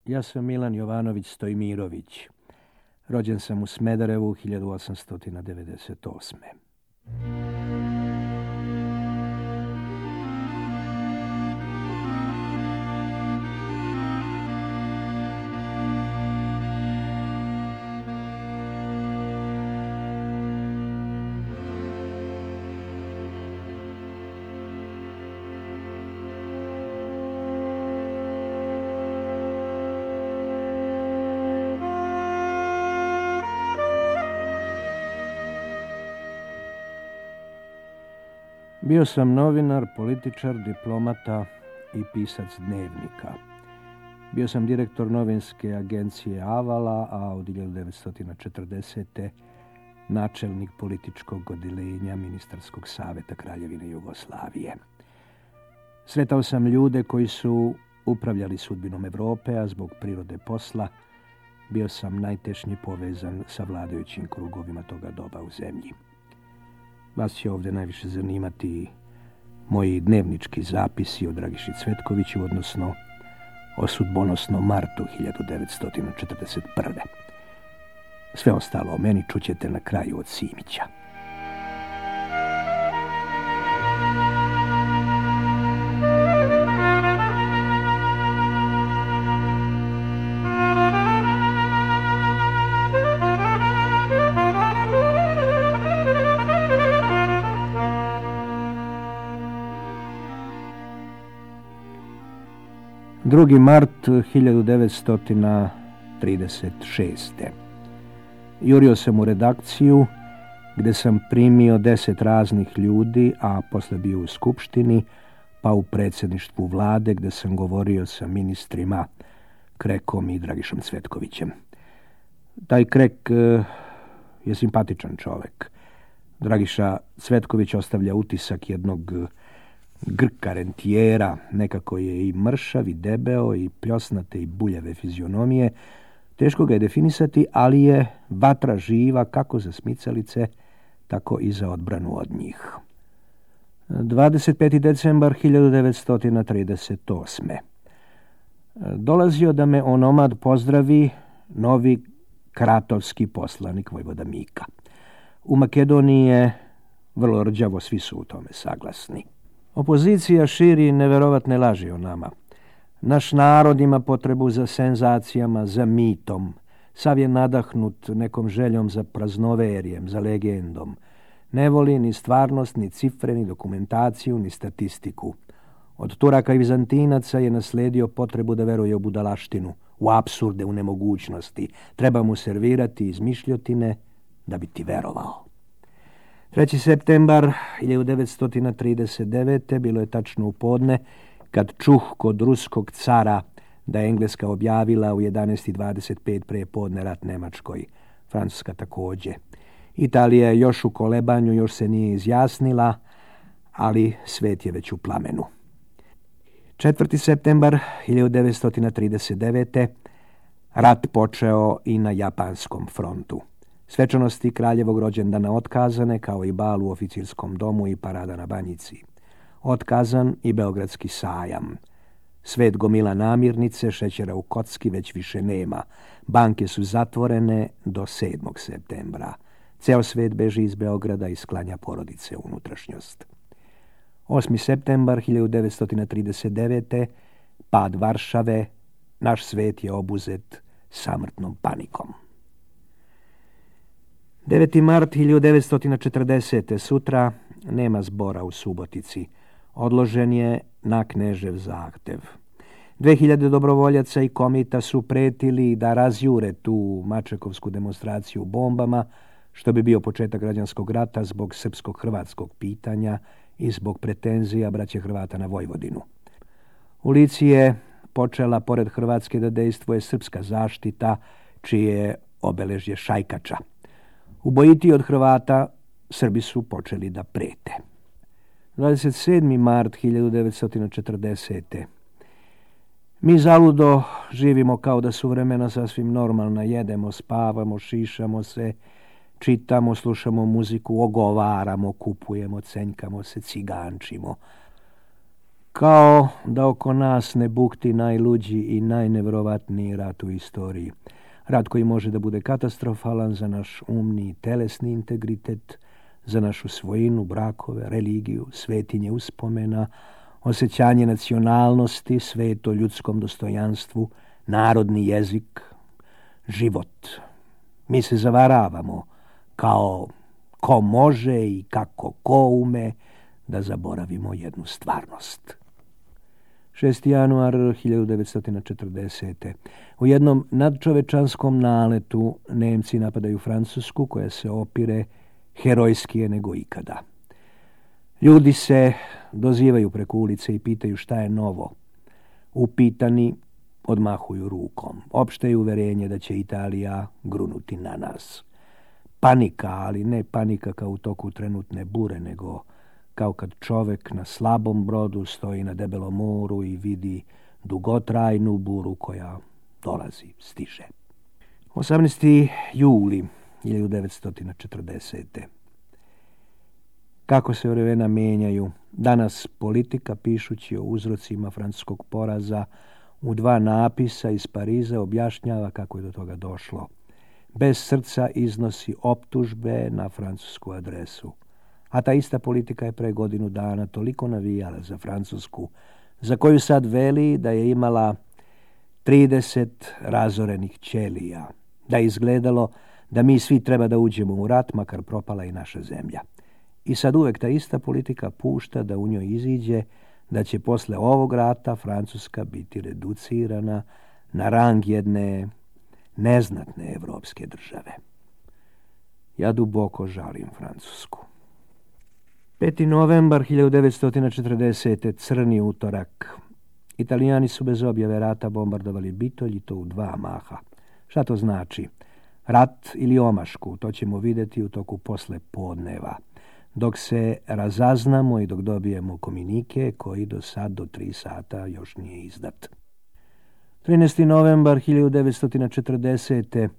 Ja sam Milan Jovanović Stojmirović. Rođen sam u Smederevu 1898. Bio sam novinar, političar, diplomata i pisac dnevnika. Bio sam direktor novinske agencije Avala, a od 1940. načelnik političkog odeljenja Ministarskog saveta Kraljevine Jugoslavije. Sretao sam ljude koji su upravljali sudbinom Europe, a zbog prirode posla bio sam najtešnje povezan sa vladajućim krugovima toga doba u zemlji. Vas će ovdje najviše zanimati moji dnevnički zapisi o Dragiši Cvetkoviću, odnosno o sudbonosnom martu 1941. Sve ostalo o meni čućete na kraju od Simića. Drugi mart 1936. Jurio sam u redakciju gdje sam primio 10 raznih ljudi, a posle bio u skupštini, pa u predsjedništvu vlade gdje sam govorio sa ministrima Krekom i Dragišom Cvetkovićem. Taj Krek je simpatičan čovjek. Dragiša Cvetković ostavlja utisak jednog Grka rentijera, nekako je i mršav i debeo i pljosnate i buljave fizionomije. Teško ga je definisati, ali je vatra živa kako za smicalice, tako i za odbranu od njih. 25. decembar 1938. Dolazio da me onomad pozdravi novi kratovski poslanik vojvoda Mika. U Makedoniji je vrlo rđavo, svi su u tome saglasni. Opozicija širi neverovatne laži o nama. Naš narod ima potrebu za senzacijama, za mitom. Sav je nadahnut nekom željom za praznoverijem, za legendom. Ne voli ni stvarnost, ni cifre, ni dokumentaciju, ni statistiku. Od Turaka i Vizantinaca je nasledio potrebu da veruje u budalaštinu, u apsurde, u nemogućnosti. Treba mu servirati izmišljotine da bi ti verovao. 3. septembar 1939. bilo je tačno u podne kad čuh kod ruskog cara da je Engleska objavila u 11:25 pre podne rat Nemačkoj. Francuska također. Italija je još u kolebanju, još se nije izjasnila, ali svet je već u plamenu. 4. septembar 1939. rat počeo i na japanskom frontu. Svečanosti kraljevog rođendana otkazane, kao i bal u oficirskom domu i parada na Banjici. Otkazan i Beogradski sajam. Svet gomila namirnice, šećera u kocki već više nema. Banke su zatvorene do 7. septembra. Ceo svet beži iz Beograda i sklanja porodice u unutrašnjost. 8. septembar 1939. pad Varšave, naš svet je obuzet samrtnom panikom. 9. mart 1940. sutra nema zbora u Subotici. Odložen je na Knežev zahtev. 2000 dobrovoljaca i komita su pretili da razjure tu mačekovsku demonstraciju bombama, što bi bio početak građanskog rata zbog srpsko-hrvatskog pitanja i zbog pretenzija braće Hrvata na Vojvodinu. U Lici je počela, pored Hrvatske, da dejstvuje srpska zaštita, čije je obeležje šajkača. Ubojiti od Hrvata, Srbi su počeli da prete. 27. mart 1940. Mi zaludo živimo kao da su vremena sasvim normalna. Jedemo, spavamo, šišamo se, čitamo, slušamo muziku, ogovaramo, kupujemo, cenjkamo se, cigančimo. Kao da oko nas ne bukti najluđi i najnevjerovatniji rat u istoriji. Rat koji može da bude katastrofalan za naš umni i telesni integritet, za našu svojinu, brakove, religiju, svetinje uspomena, osjećanje nacionalnosti, sveto ljudskom dostojanstvu, narodni jezik, život. Mi se zavaravamo kao ko može i kako ko ume da zaboravimo jednu stvarnost. 6. januar 1940. U jednom nadčovečanskom naletu Nemci napadaju Francusku koja se opire herojskije nego ikada. Ljudi se dozivaju preko ulice i pitaju šta je novo. Upitani odmahuju rukom. Opšte je uverenje da će Italija grunuti na nas. Panika, ali ne panika kao u toku trenutne bure, nego kao kad čovek na slabom brodu stoji na debelom moru i vidi dugotrajnu buru koja dolazi, stiže. 18. juli 1940. Kako se vremena menjaju. Danas politika, pišući o uzrocima francuskog poraza, u 2 napisa iz Pariza objašnjava kako je do toga došlo. Bez srca iznosi optužbe na francusku adresu. A ta ista politika je pre godinu dana toliko navijala za Francusku, za koju sad veli da je imala 30 razorenih ćelija, da je izgledalo da mi svi treba da uđemo u rat, makar propala i naša zemlja. I sad uvek ta ista politika pušta da u njoj iziđe da će posle ovog rata Francuska biti reducirana na rang jedne neznatne evropske države. Ja duboko žalim Francusku. 5. novembar 1940. Crni utorak. Italijani su bez objave rata bombardovali Bitolj i to u 2 maha. Šta to znači? Rat ili omašku, to ćemo vidjeti u toku posle podneva. Dok se razaznamo i dok dobijemo komunike koji do 3 sata još nije izdat. 13. novembar 1940.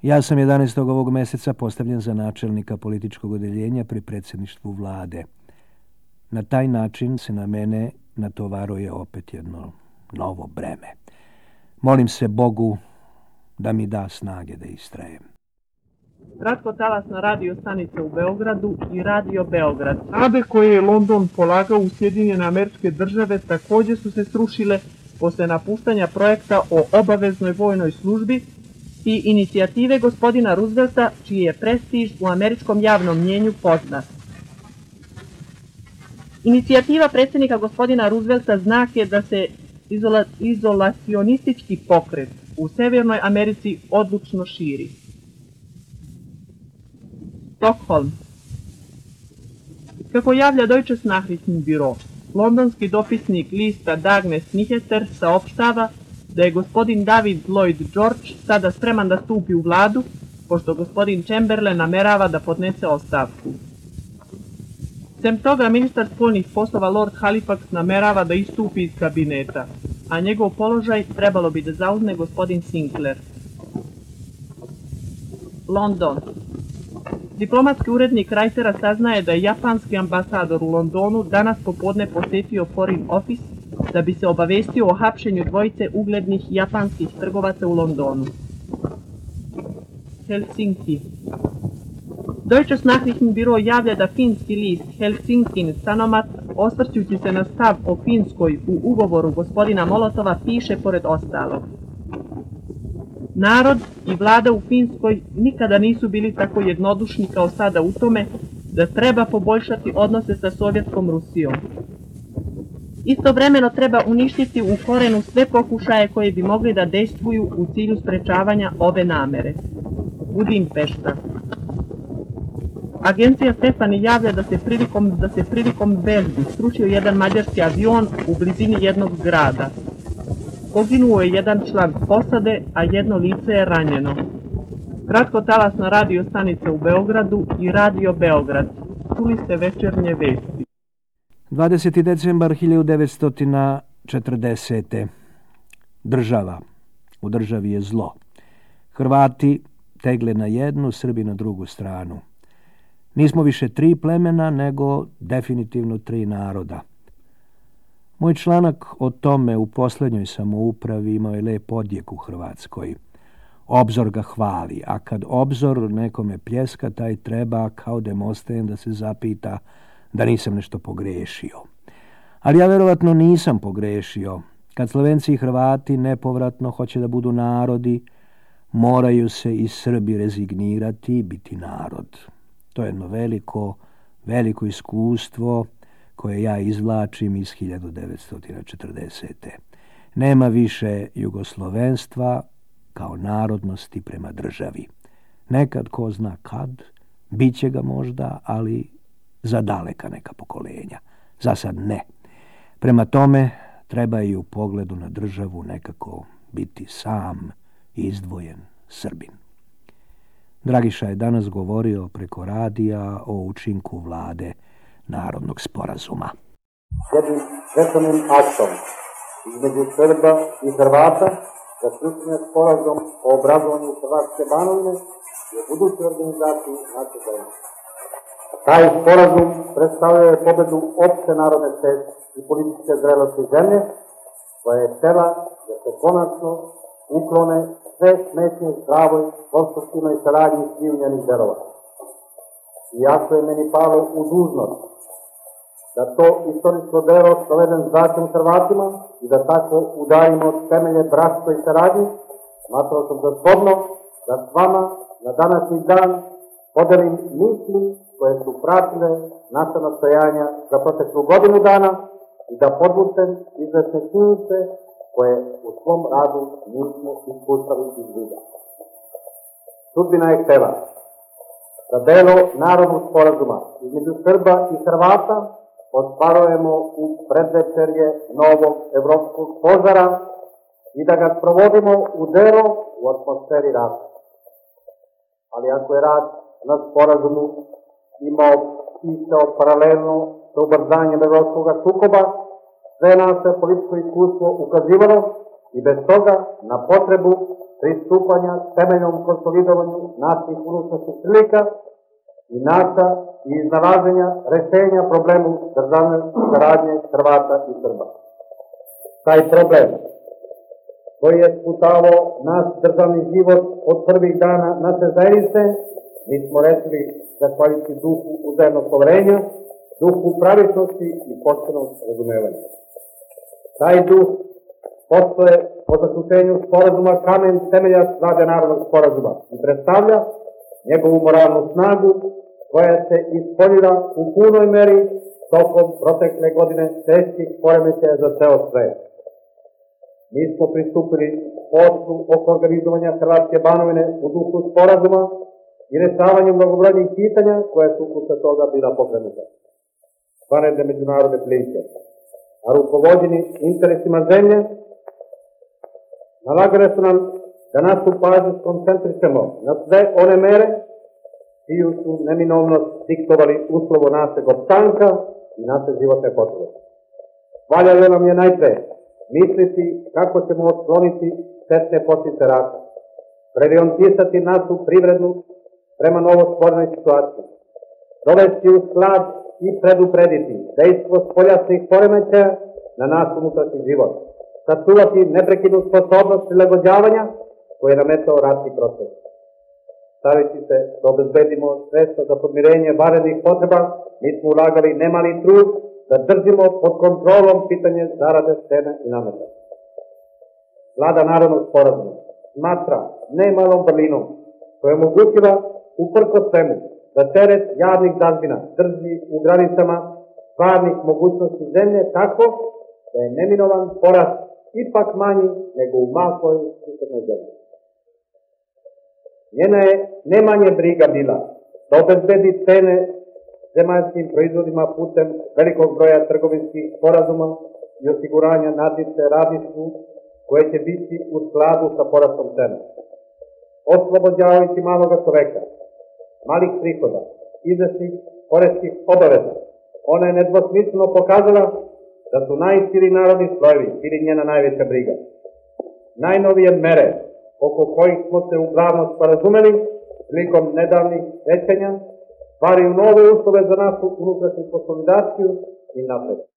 Ja sam 11. ovog meseca postavljen za načelnika političkog odeljenja pri predsjedništvu vlade. Na taj način se na mene natovaruje opet jedno novo breme. Molim se Bogu da mi da snage da istrajem. Kratkotalasna radio stanica u Beogradu i Radio Beograd. Nade koje je London polagao u Sjedinjene Američke Države također su se srušile posle napuštanja projekta o obaveznoj vojnoj službi i inicijative gospodina Roosevelta, čiji je prestiž u američkom javnom mnjenju poznat. Inicijativa predsjednika gospodina Roosevelta znak je da se izolacionistički pokret u Severnoj Americi odlučno širi. Stockholm. Kako javlja Deutsches Nachrichtenbüro, londonski dopisnik lista Dagnes Nyheter saopštava da je gospodin David Lloyd George sada spreman da stupi u vladu, pošto gospodin Chamberlain namerava da podnese ostavku. Sem toga, ministar spoljnih poslova Lord Halifax namerava da istupi iz kabineta, a njegov položaj trebalo bi da zauzme gospodin Sinclair. London. Diplomatski urednik Reutera saznaje da je japanski ambasador u Londonu danas popodne posjetio Foreign Office da bi se obavestio o hapšenju 2 uglednih japanskih trgovaca u Londonu. Helsinki. Deutsches Nachrichtenbüro javlja da finski list Helsinkin Sanomat, osvrćući se na stav o Finskoj u ugovoru gospodina Molotova, piše pored ostalog: narod i vlada u Finskoj nikada nisu bili tako jednodušni kao sada u tome da treba poboljšati odnose sa Sovjetskom Rusijom. Istovremeno treba uništiti u korenu sve pokušaje koje bi mogli da dejstvuju u cilju sprečavanja ove namere. Budimpešta. Agencija Stefani javlja da se prilikom vežbi srušio jedan mađarski avion u blizini jednog grada. Poginuo je jedan član posade, a jedno lice je ranjeno. Kratkotalasna radio stanica u Beogradu i Radio Beograd. Čuli ste večernje vesti. 20. decembar 1940. Država. U državi je zlo. Hrvati tegle na jednu, Srbi na drugu stranu. Nismo više 3 plemena, nego definitivno 3 naroda. Moj članak o tome u posljednjoj samoupravi imao je lep odjek u Hrvatskoj. Obzor ga hvali, a kad Obzor nekome pljeska, taj treba kao Demosten da se zapita da nisam nešto pogrešio. Ali ja verovatno nisam pogrešio. Kad Slovenci i Hrvati nepovratno hoće da budu narodi, moraju se i Srbi rezignirati i biti narod. To je jedno veliko iskustvo koje ja izvlačim iz 1940. Nema više jugoslovenstva kao narodnosti prema državi. Nekad, ko zna kad, bit će ga možda, ali za daleka neka pokolenja. Za sad ne. Prema tome, treba i u pogledu na državu nekako biti sam izdvojen Srbin. Dragiša je danas govorio preko radija o učinku vlade Narodnog sporazuma. Jednim svečanim aktom između Srba i Hrvata zaključen je sporazum o obrazovanju Hrvatske Banovine i o budućoj organizaciji naše zemlje. Taj sporazum predstavlja pobedu opšte narodne svesti i političke zrelosti zemlje, koja je htela da se konačno uklone sve smetnje zdravoj, konstruktivnoj saradnji svih njenih delova. Iako je meni palo u dužnost da to istorijsko delo provedem zračnim Hrvatima i da tako udarimo temelje bratskoj saradnji, smatrao sam za shodno da s vama na današnji dan podelim misli koje su pratile naša nastojanja za proteklu godinu dana i da podvučem izvesne činjenice koje u svom radu nismo ispustali iz vida. Sudbina je htela da delo Narodnog sporazuma između Srba i Hrvata ostvarujemo u predvečerje novog evropskog požara i da ga provodimo u delo u atmosferi rata. Ali ako je rad na sporazumu išao paralelno sa ubrzanjem evropskog sukoba, sve naše političko iskustvo ukazivalo i bez toga na potrebu pristupanja temeljnom konsolidovanju naših unutrašnjih prilika i naša i iznalaženja rešenja problemu državne saradnje Hrvata i Srba. Taj problem koji je sputavao naš državni život od prvih dana naše zajednice, mi smo rešili zahvaljujući duhu uzajamnog poverenja, duhu pravičnosti i poštenog razumevanja. Taj duh postoje po zaključenju sporazuma kamen temeljac vlade Narodnog sporazuma i predstavlja njegovu moralnu snagu koja se ispoljila u punoj meri tokom protekle godine teških poremećaja za ceo svet. Mi smo pristupili poslu oko organizovanja Hrvatske Banovine u duhu sporazuma i rešavanju mnogobrojnih pitanja koja su posle toga bila pokrenuta. Vanredne međunarodne prilike, a rukovođeni interesima zemlje, nalagale su nam da našu pažnju skoncentrišemo na sve one mere čiju su neminovnost diktovali uslovo našeg opstanka i naše životne potrebe. Valjalo nam je najpre misliti kako ćemo otkloniti štetne posljedice rata, preorijentisati našu privrednu prema novostvorenoj situaciji, dovesti u sklad i preduprediti dejstvo spoljašnjih poremećaja na naš unutrašnji život, sačuvati neprekidnu sposobnost prilagođavanja koje je nametao ratni proces. Staviti se da obezbedimo sredstva za podmirenje vanrednih potreba, mi smo ulagali nemali trud da držimo pod kontrolom pitanje zarade, cene i nameta. Vlada Narodnog sporazuma smatra nemalom vrlinom koja je omogućila uprkos svemu da teret javnih dažbina drži u granicama stvarnih mogućnosti zemlje tako da je neminovan porast ipak manji nego u maloj susednoj zemlji. Njena je nemanje briga bila da obezbedi cene zemaljskim proizvodima putem velikog broja trgovinskih sporazuma i osiguranja nadnice radništvu koje će biti u skladu sa porastom cena. Oslobođavajući maloga čoveka, malih prihoda, izvesnih poreskih obaveza, ona je nedvosmisleno pokazala da su najširi narodni slojevi ili njena najveća briga. Najnovije mere oko kojih smo se uglavnom sporazumeli prilikom nedavnih većanja stvaraju nove uslove za našu unutrašnju konsolidaciju i napredak.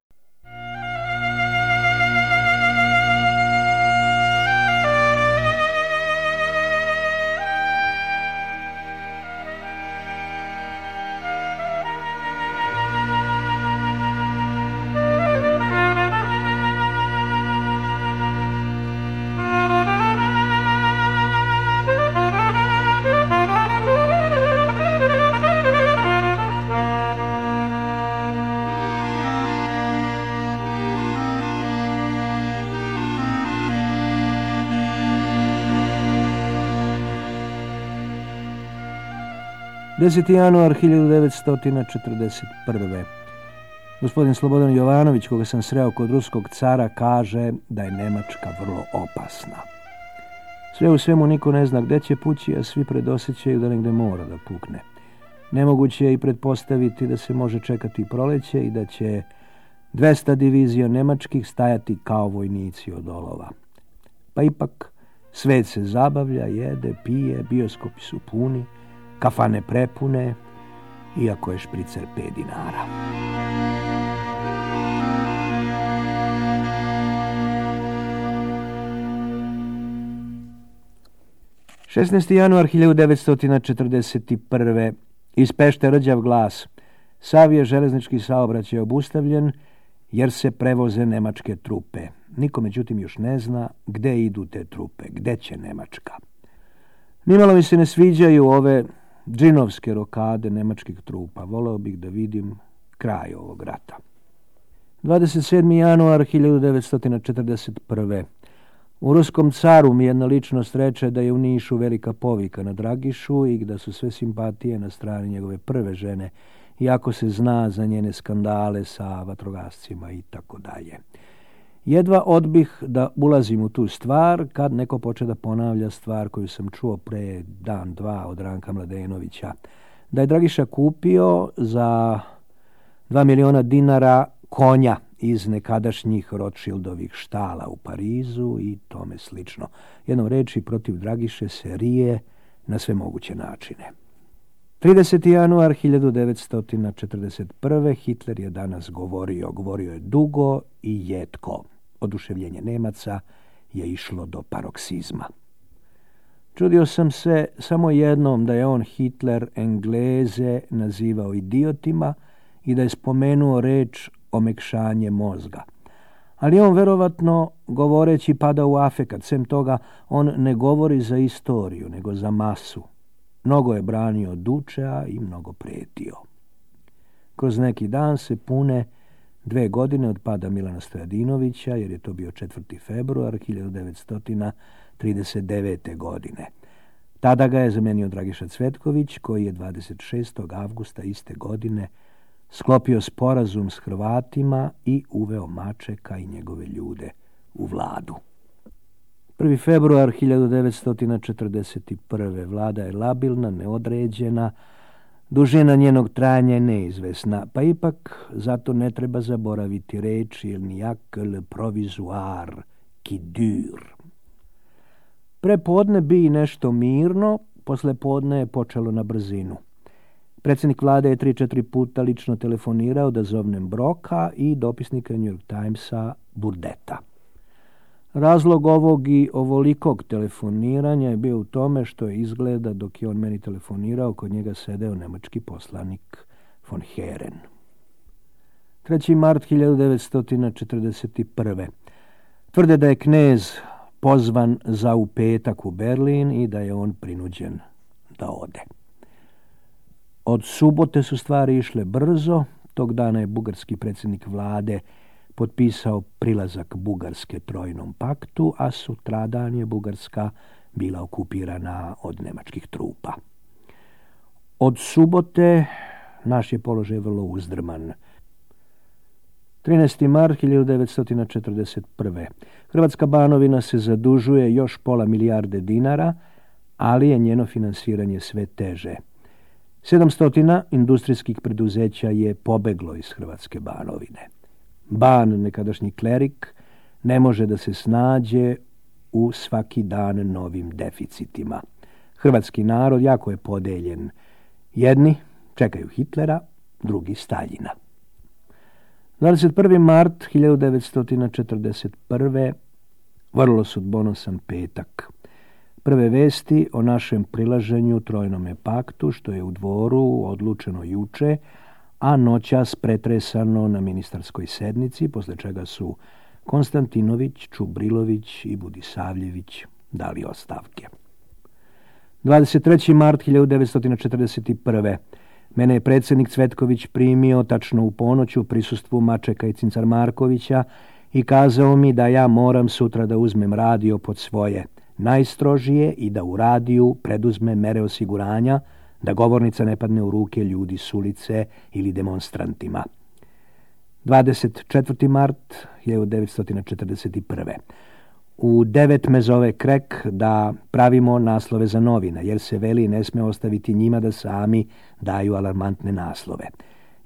10. januar 1941. Gospodin Slobodan Jovanović, koga sam sreo kod ruskog cara, kaže da je Nemačka vrlo opasna. Sve u svemu niko ne zna gde će pući, a svi predosjećaju da negde mora da pukne. Nemoguće je i pretpostaviti da se može čekati proleće i da će 200 divizija nemačkih stajati kao vojnici od olova. Pa ipak, svet se zabavlja, jede, pije, bioskopi su puni, kafane prepune, iako je špricer 5 dinara. ...16. januar 1941. Iz Pešte rđav glas. Sav je železnički saobraćaj obustavljen jer se prevoze nemačke trupe. Niko međutim još ne zna gde idu te trupe, gde će Nemačka. Nimalo mi se ne sviđaju ove džinovske rokade nemačkih trupa. Voleo bih da vidim kraj ovog rata. 27. januar 1941. U ruskom caru mi jedna ličnost reče da je u Nišu velika povika na Dragišu i da su sve simpatije na strani njegove prve žene, iako se zna za njene skandale sa vatrogascima i tako dalje. Jedva odbih da ulazim u tu stvar kad neko poče da ponavlja stvar koju sam čuo pre dan, dva od Ranka Mladenovića. Da je Dragiša kupio za 2 miliona dinara konja iz nekadašnjih Rothschildovih štala u Parizu i tome slično. Jednom reči, protiv Dragiše se rije na sve moguće načine. 30. januar 1941. Hitler je danas govorio je dugo i jetko. Oduševljenje Nemaca je išlo do paroksizma. Čudio sam se samo jednom da je on, Hitler, Engleze nazivao idiotima i da je spomenuo reč omekšanje mozga. Ali on verovatno govoreći pada u afekat. Sem toga, on ne govori za istoriju, nego za masu. Mnogo je branio Dučea i mnogo pretio. Kroz neki dan se pune 2 godine od pada Milana Stojadinovića, jer je to bio 4. februar 1939. godine. Tada ga je zamenio Dragiša Cvetković, koji je 26. avgusta iste godine sklopio sporazum s Hrvatima i uveo Mačeka i njegove ljude u vladu. 1. februar 1941. Vlada je labilna, neodređena, dužina njenog trajanja je neizvesna, pa ipak zato ne treba zaboraviti reč il niak le provisoire qui dure. Prepodne bi nešto mirno, posle podne je počelo na brzinu. Predsjednik vlade je 3-4 puta lično telefonirao da zovnem Broka i dopisnika New York Timesa Burdeta. Razlog ovog i ovolikog telefoniranja je bio u tome što je izgleda dok je on meni telefonirao kod njega sedeo nemački poslanik von Heeren. 3. mart 1941. Tvrde da je knez pozvan za u petak u Berlin i da je on prinuđen da ode. Od subote su stvari išle brzo. Tog dana je bugarski predsjednik vlade potpisao prilazak Bugarske Trojnom paktu, a sutradan je Bugarska bila okupirana od nemačkih trupa. Od subote naš je položaj vrlo uzdrman. 13. mart 1941. Hrvatska Banovina se zadužuje još pola milijarde dinara, ali je njeno finansiranje sve teže. 700 industrijskih preduzeća je pobeglo iz Hrvatske Banovine. Ban, nekadašnji klerik, ne može da se snađe u svaki dan novim deficitima. Hrvatski narod jako je podeljen. Jedni čekaju Hitlera, drugi Staljina. 21. mart 1941. vrlo sudbonosan petak. Prve vesti o našem prilaženju Trojnome paktu, što je u Dvoru odlučeno juče, a noćas pretresano na ministarskoj sednici, posle čega su Konstantinović, Čubrilović i Budisavljević dali ostavke. 23. mart 1941. Mene je predsjednik Cvetković primio tačno u ponoć u prisustvu Mačeka i Cincar Markovića i kazao mi da ja moram sutra da uzmem radio pod svoje najstrožije i da u radiju preduzme mere osiguranja da govornica ne padne u ruke ljudi s ulice ili demonstrantima. 24. mart 1941. U 9 me zove Krek da pravimo naslove za novine, jer se veli ne sme ostaviti njima da sami daju alarmantne naslove.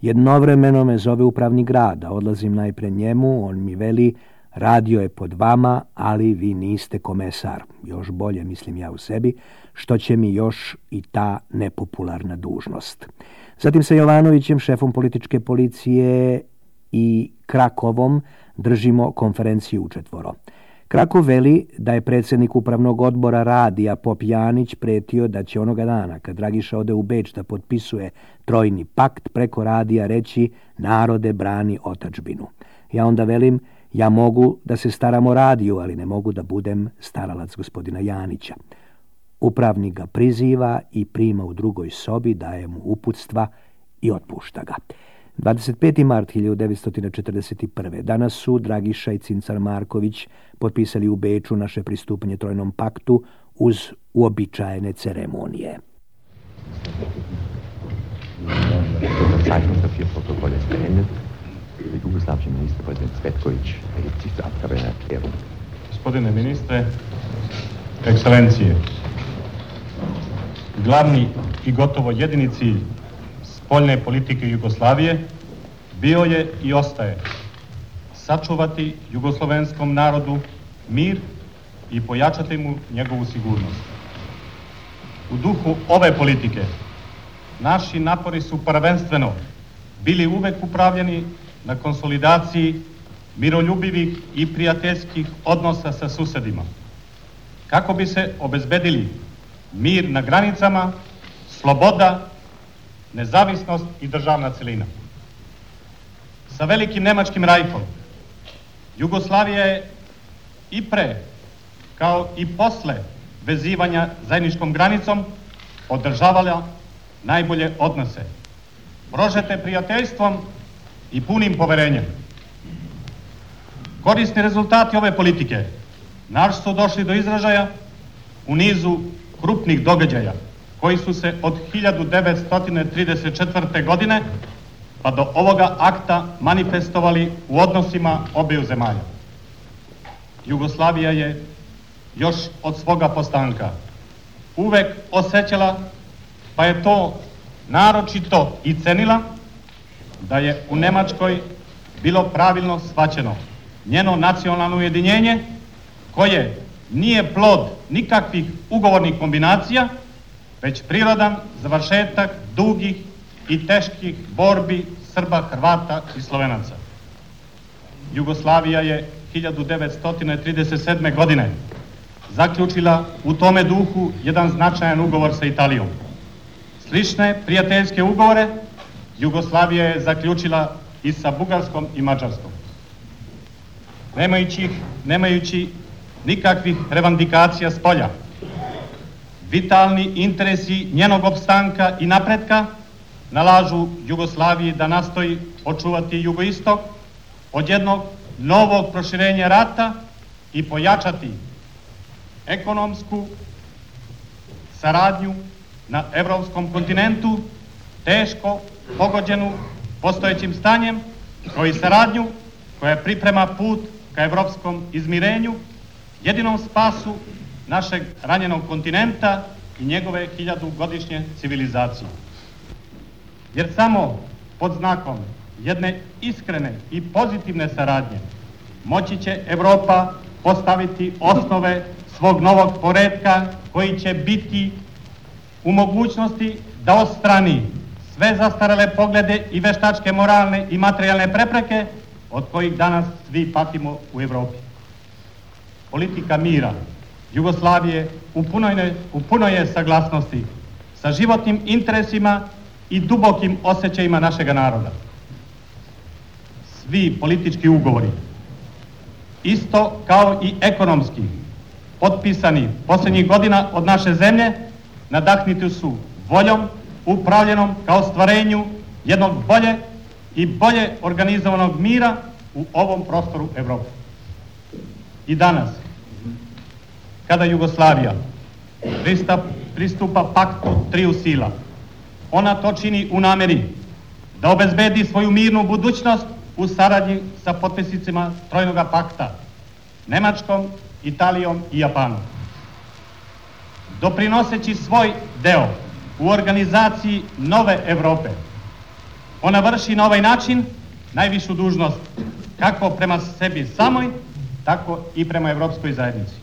Jednovremeno me zove upravni grad, a odlazim najpre njemu, on mi veli radio je pod vama, ali vi niste komesar. Još bolje, mislim ja u sebi, što će mi još i ta nepopularna dužnost. Zatim sa Jovanovićem, šefom političke policije, i Krakovom držimo konferenciju učetvoro. Krakov veli da je predsjednik upravnog odbora radija Pop Janić pretio da će onoga dana, kad Dragiša ode u Beč da potpisuje trojni pakt, preko radija reći narode brani otadžbinu. Ja onda velim, ja mogu da se staram o radiju, ali ne mogu da budem staralac gospodina Janića. Upravnik ga priziva i prima u drugoj sobi, daje mu uputstva i otpušta ga. 25. mart 1941. Danas su Dragiša i Cincar Marković potpisali u Beču naše pristupanje trojnom paktu uz uobičajene ceremonije. Zeichnungspapier-Protokoll ist beendet. Der jugoslawische Ministerpräsident Cvetković erhebt sich zur Abgabe einer Erklärung. Gospodine ministre, ekscelencije, glavni i gotovo jedini cilj spoljne politike Jugoslavije bio je i ostaje sačuvati jugoslovenskom narodu mir i pojačati mu njegovu sigurnost. U duhu ove politike naši napori su prvenstveno bili uvek upravljeni na konsolidaciji miroljubivih i prijateljskih odnosa sa susedima, kako bi se obezbedili mir na granicama, sloboda, nezavisnost i državna celina. Sa velikim nemačkim rajkom Jugoslavija je i pre, kao i posle vezivanja zajedničkom granicom održavala najbolje odnose, prožete prijateljstvom i punim poverenjem. Korisni rezultati ove politike naš su došli do izražaja u nizu krupnih događaja koji su se od 1934. godine pa do ovoga akta manifestovali u odnosima obiju zemalja. Jugoslavija je još od svoga postanka uvek osjećala, pa je to naročito i cenila, da je u Nemačkoj bilo pravilno shvaćeno njeno nacionalno ujedinjenje, koje nije plod nikakvih ugovornih kombinacija, već prirodan završetak dugih i teških borbi Srba, Hrvata i Slovenaca. Jugoslavija je 1937. godine zaključila u tome duhu jedan značajan ugovor sa Italijom. Slične prijateljske ugovore Jugoslavija je zaključila i sa Bugarskom i Mađarskom. Nemajući nikakvih revandikacija s polja, vitalni interesi njenog opstanka i napretka nalažu Jugoslaviji da nastoji očuvati jugoistok od jednog novog proširenja rata i pojačati ekonomsku saradnju na evropskom kontinentu, teško pogođenu postojećim stanjem, kao i saradnju koja priprema put ka evropskom izmirenju, jedinom spasu našeg ranjenog kontinenta i njegove 1000-godišnje civilizacije. Jer samo pod znakom jedne iskrene i pozitivne saradnje moći će Evropa postaviti osnove svog novog poretka koji će biti u mogućnosti da odstrani sve zastarele poglede i veštačke moralne i materijalne prepreke od kojih danas svi patimo u Evropi. Politika mira Jugoslavije u punoj je saglasnosti sa životnim interesima i dubokim osjećajima našega naroda. Svi politički ugovori, isto kao i ekonomski, potpisani posljednjih godina od naše zemlje, nadahnuti su voljom upravljenom kao stvarenju jednog bolje organizovanog mira u ovom prostoru Evrope. I danas, kada Jugoslavija pristupa paktu triju sila, ona to čini u nameri da obezbedi svoju mirnu budućnost u saradnji sa potpisnicima Trojnoga pakta, Nemačkom, Italijom i Japanom. Doprinoseći svoj deo u organizaciji nove Evrope, ona vrši na ovaj način najvišu dužnost kako prema sebi samoj, tako i prema Evropskoj zajednici.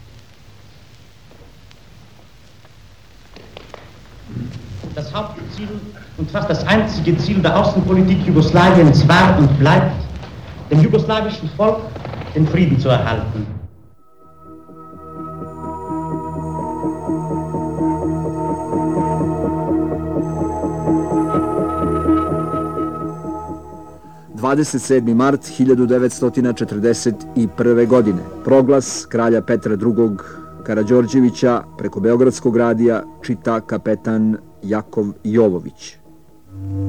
Das Hauptziel und fast das einzige Ziel der Außenpolitik Jugoslawiens war und bleibt, dem jugoslawischen Volk den Frieden zu erhalten. Mart 1941. godine. Proglas kralja Petra II. Karađorđevića preko Beogradskog radija čita kapetan Jakov Jovović.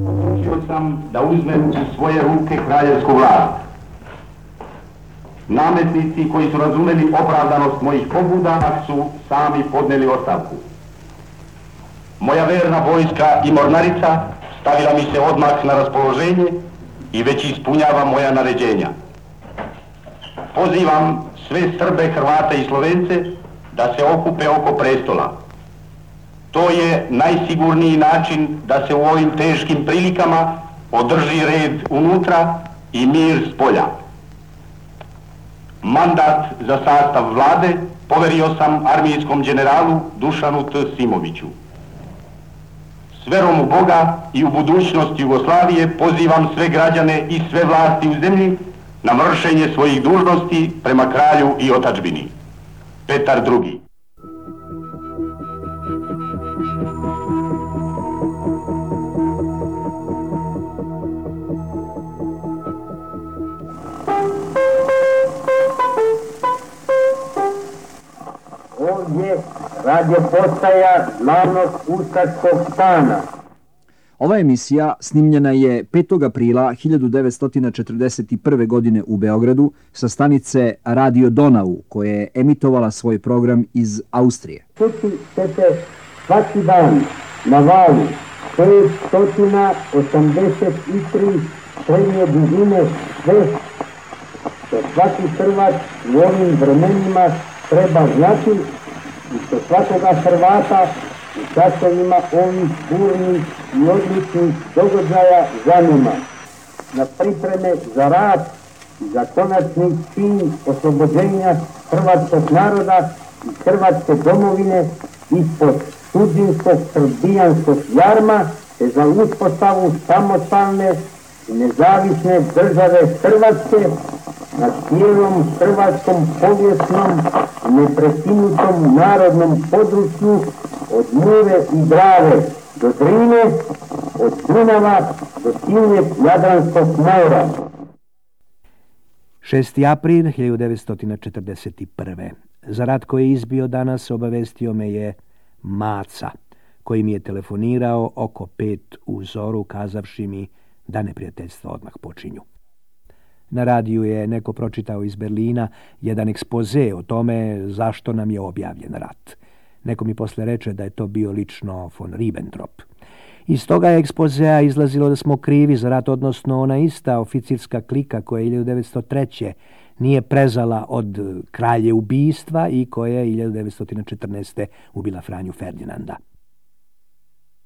Odlučio sam da uzmem u svoje ruke kraljevsku vlast. Nametnici koji su razumeli opravdanost mojih pobuda su sami podneli ostavku. Moja verna vojska i mornarica stavila mi se odmah na raspoloženje i već ispunjava moja naređenja. Pozivam sve Srbe, Hrvate i Slovence da se okupe oko prestola. To je najsigurniji način da se u ovim teškim prilikama održi red unutra i mir spolja. Mandat za sastav vlade poverio sam armijskom generalu Dušanu T. Simoviću. S verom u Boga i u budućnost Jugoslavije pozivam sve građane i sve vlasti u zemlji na vršenje svojih dužnosti prema kralju i otadžbini. Petar II. Ovdje radio postaja glavnog ustaškog stana. Ova emisija snimljena je 5. aprila 1941. godine u Beogradu sa stanice Radio Donau, koja je emitovala svoj program iz Austrije. Čuti ćete svaki dan na valu 583 srednje dužine sve što svaki Hrvat u ovim vremenima treba znati i što svakoga Hrvata u časovima ovih burnih i odličnih događaja zanima. Na pripreme za rad i za konačni čin oslobođenja hrvatskog naroda i hrvatske domovine ispod sudbinskog srbijanskog jarma te za uspostavu samostalne i nezavisne države Hrvatske na cijelom hrvatskom povijesnom i neprekinutom narodnom području od Mure i Drave do Drine, od Dunava do silnog Jadranskog mora. 6. april 1941. Za rat koji je izbio danas obavestio me je Maca, koji mi je telefonirao oko 5 u zoru, kazavši mi da neprijateljstva odmah počinju. Na radiju je neko pročitao iz Berlina jedan ekspoze o tome zašto nam je objavljen rat. Neko mi posle reče da je to bio lično von Ribbentrop. Iz toga je ekspozea izlazilo da smo krivi za rat, odnosno ona ista oficirska klika koja je 1903. nije prezala od kralje ubistva i koja je 1914. ubila Franju Ferdinanda.